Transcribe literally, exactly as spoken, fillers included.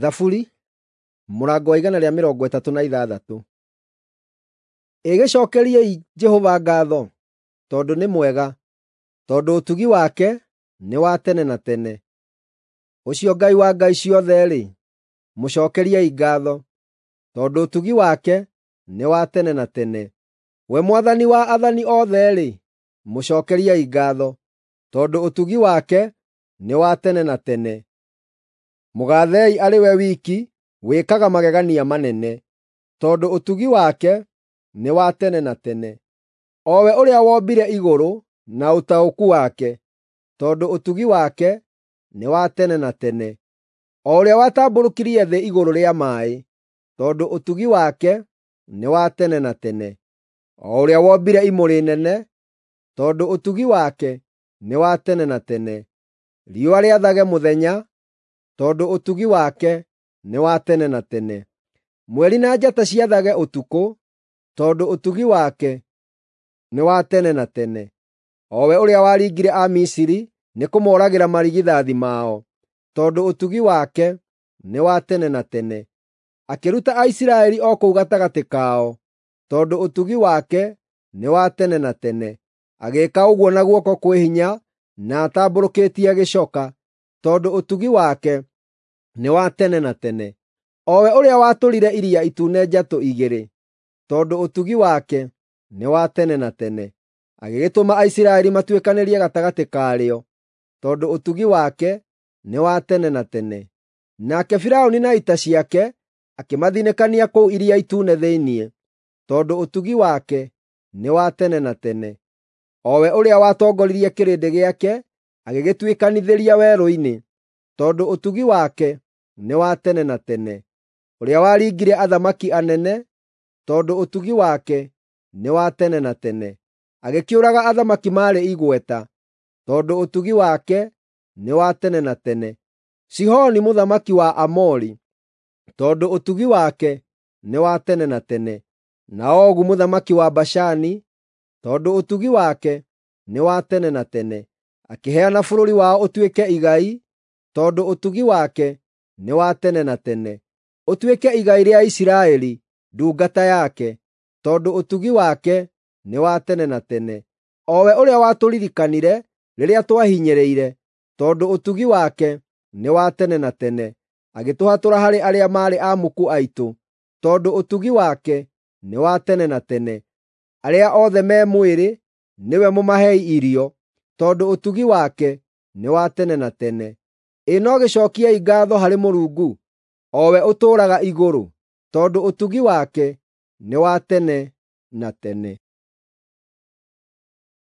Thaburi mũrango wa igana rĩa mĩrongo ĩtatũ na ithathatũ. Ĩgĩcokeriei Jehova ngatho, tondũ nĩ mwega, tondũ ũtugi wake nĩ wa tene na tene. Ũcio Ngai wa ngai ciothe-rĩ, mũcokeriei ngatho, tondũ ũtugi wake nĩ wa tene na tene. We Mwathani wa athani othe-rĩ, mũcokeriei ngatho, tondũ ũtugi wake nĩ wa tene na tene. Mũgathei arĩ we wiki wĩkaga magegania manene, tondũ ũtugi wake nĩ wa tene na tene. O we ũrĩa wombire igũrũ na ũtaũku wake, tondũ ũtugi wake nĩ wa tene na tene. O ũrĩa watambũrũkirie thĩ igũrũ rĩa maaĩ, tondũ ũtugi wake nĩ wa tene na tene. O ũrĩa wombire imũrĩ nene, tondũ ũtugi wake nĩ wa tene na tene. Riũa rĩathage mũthenya, tondũ ũtugi wake nĩ wa tene na tene. Mweri na njata ciathage ũtukũ, tondũ ũtugi wake nĩ wa tene na tene. O we ũrĩa waringire Amisiri nĩ kũmooragĩra marigithathi mao, tondũ ũtugi wake nĩ wa tene na tene. Akĩruta Aisiraeli o kũu gatagatĩ kao, tondũ ũtugi wake nĩ wa tene na tene. Agĩĩka ũguo na guoko kwĩ hinya na atambũrũkĩtie gĩcoka, tondũ ũtugi wake nĩ wa tene na tene. O we ũrĩa watũrire Iria Itune njatũ igĩrĩ, tondũ ũtugi wake nĩ wa tene na tene. Agĩgĩtũma Aisiraeli matuĩkanĩrie gatagatĩ karĩo, tondũ ũtugi wake nĩ wa tene na tene. Nake Firaũni na ita ciake akĩmathinĩkania kũu Iria Itune thĩinĩ, tondũ ũtugi wake nĩ wa tene na tene. O we ũrĩa watongoririe kĩrĩndĩ gĩake agĩgĩtuĩkanithĩria werũ-inĩ, tondũ ũtugi wake nĩ wa tene na tene. Ũrĩa waringire athamaki anene, tondũ ũtugi wake nĩ wa tene na tene. Agĩkĩũraga athamaki maarĩ igweta, tondũ ũtugi wake nĩ wa tene na tene. Sihoni mũthamaki wa Aamori, tondũ ũtugi wake nĩ wa tene na tene. Na Ogu mũthamaki wa Bashani, tondũ ũtugi wake nĩ wa tene na tene. Akĩheana bũrũri wao ũtuĩke igai, tondũ ũtugi wake nĩ wa tene na tene. Ũtuĩke igai rĩa Isiraeli ndungata yake, tondũ ũtugi wake nĩ wa tene na tene. O we ũrĩa watũririkanire rĩrĩa twahinyĩrĩire, tondũ ũtugi wake nĩ wa tene na tene. Agĩtũhatũra harĩ arĩa maarĩ amuku aitũ, tondũ ũtugi wake nĩ wa tene na tene. Arĩa othe me mwĩrĩ nĩwe mũmahei irio, tondũ ũtugi wake nĩ wa tene na tene. Ĩ no gĩcokiei ngatho harĩ Mũrungu, o we ũtũũraga igũrũ, tondũ ũtugi wake nĩ wa tene na tene.